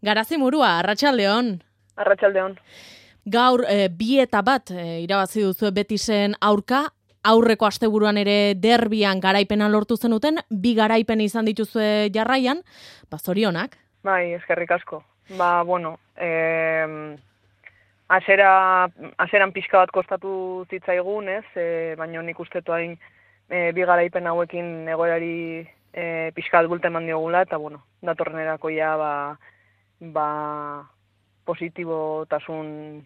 Garazi Murua, Arratsaldeon. Arratsaldeon. Gaur 2-1 irabazi duzu Betisen aurka, aurreko asteburuan ere derbian garaipena lortu zenuten, 2 garaipen izan dituzue jarraian, zorionak. Bai, eskerrik asko. Aseran pixka bat kostatu zitzaigun, ez? Baina nik ustetu hain 2 garaipen hauekin egoerari pixka bat bulte eman diogula, eta datorrenerako ja positibotasun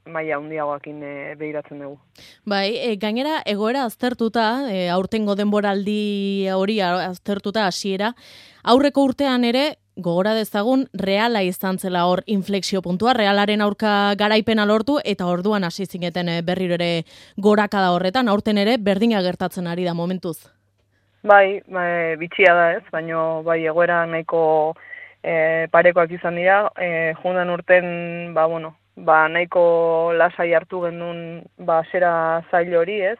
maila handiagoekin begiratzen dugu. Bai, gainera egoera aztertuta, aurtengo denboraldi hori aztertuta hasiera, aurreko urtean ere gogora dezagun Reala izan zela hor inflexio puntua, Realaren aurka garaipena lortu eta orduan hasi zineten berriro ere gorakada horretan, aurten ere berdina gertatzen ari da momentuz. Bai, bitxia da ez, baina bai egoera nahiko parekoak izan dira, jundan urten, nahiko lasai hartu genuen zera zail hori, ez?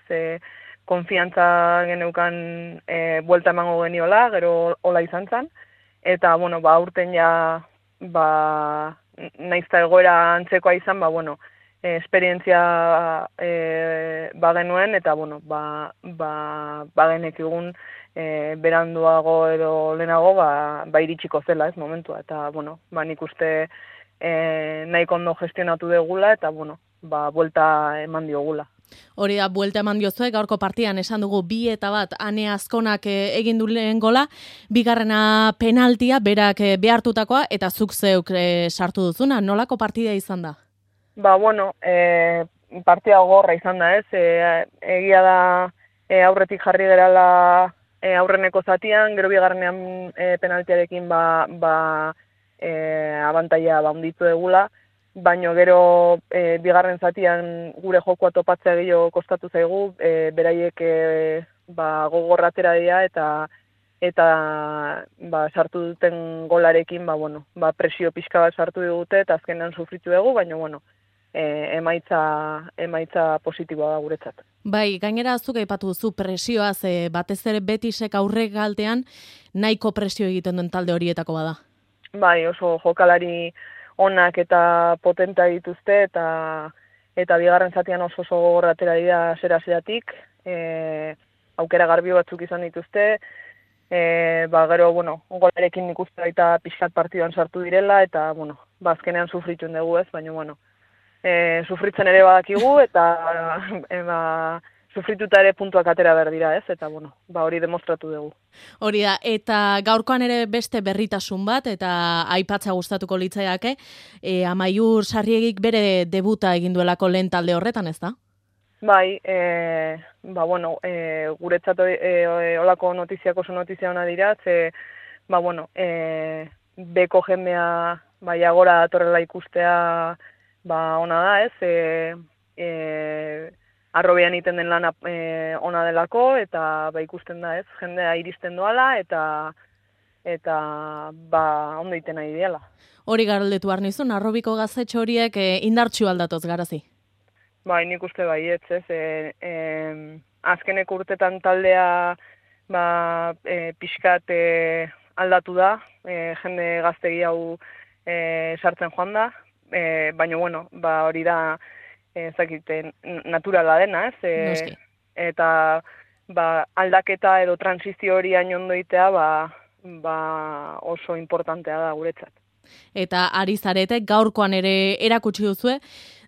Konfiantza geneukan buelta emango geniola, gero hola izan zen, eta urten ja naizta egoera antzekoa izan, esperientzia bagenuen, eta bagenekigun beranduago edo lehenago iritsiko zela ez momentua, eta nik uste nahiko ondo gestionatu degula, eta buelta eman diogula. Hori da, buelta eman diozue, gaurko partidan esan dugu 2-1 Ane Azkonak egin du lehen gola, bigarrena penaltia, berak behartutakoa, eta zuk zeuk sartu duzuna, nolako partida izan da? Partida gogorra izan da ez, egia da aurretik jarri gerala aurreneko zatian, gero bigarrenean penaltiarekin abantaila handitu egula, baino gero bigarren zatian gure jokoa topatzea gehiago kostatu zaigu, beraiek gogorra atera dira eta sartu duten golarekin presio pixka bat sartu dute eta azkenean sufritu dugu, baina emaitza positiboa da guretzat. Bai, gainera zuk aipatu duzu presioaz, batez ere Betisek aurregaldean nahiko presio egiten duen talde horietako bada. Bai, oso jokalari onak eta potenta dituzte, eta bigarren zatian oso gogorra atera dira zera-zeratik, aukera garbi batzuk izan dituzte, gero, golarekin nik uste baita pixkat partiduan sartu direla, eta, azkenean sufrituen dugu ez, baina, sufritzen ere badakigu, eta sufrituta ere puntuak atera behar dira ez, eta hori demostratu dugu. Hori da, eta gaurkoan ere beste berritasun bat, eta aipatza gustatuko litzaiake, Amaiur Sarriegik bere debuta egin duelako lehen talde horretan, ez da? Bai, guretzat olako notiziak oso notizia hona dira, beko jendea agora datorrela ikustea ona da, ez, arrobean iten den lana ona delako, eta ikusten da, ez, jendea iristen doala, eta ondo iten nahi diela. Hori galdetu behar nizun, arrobiko gazetxo horiek indartsu aldatoz Garazi? Bai, nik uste baietz, ez, azkeneko urtetan taldea pixkat aldatu da, jende gaztegi hau sartzen joan da, baina, hori da, naturala dena, ez? Eta aldaketa edo transizio hori hain ondo itea oso importantea da guretzat. Eta ari zarete, gaurkoan ere erakutsi duzue,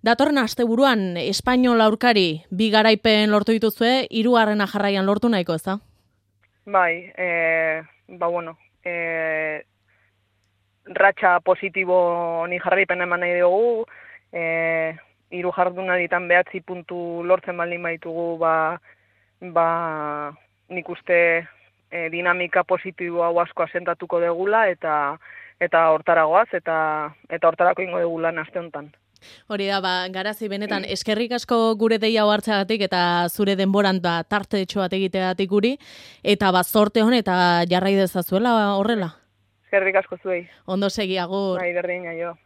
datorren asteburuan Espainol aurkari 2 garaipen lortu dituzue, 3. jarraian lortu nahiko, ez da? Bai, ratxa positibo honi jarraipen eman nahi dugu, 3 jardunalditan 9 puntu lortzen baldin baitugu, nik uste dinamika positibo hau asko asentatuko degula, eta hortaragoaz, eta hortarako ingo degula aste honetan. Hori da, Garazi, benetan, eskerrik asko gure deia hau hartzeagatik, eta zure denboran tarte etxo bat egiteagatik guri, eta zorte hon, eta jarrai dezazuela horrela. Eskerrik asko zuei. Ondo segi, agur. Bai, berdin, aio.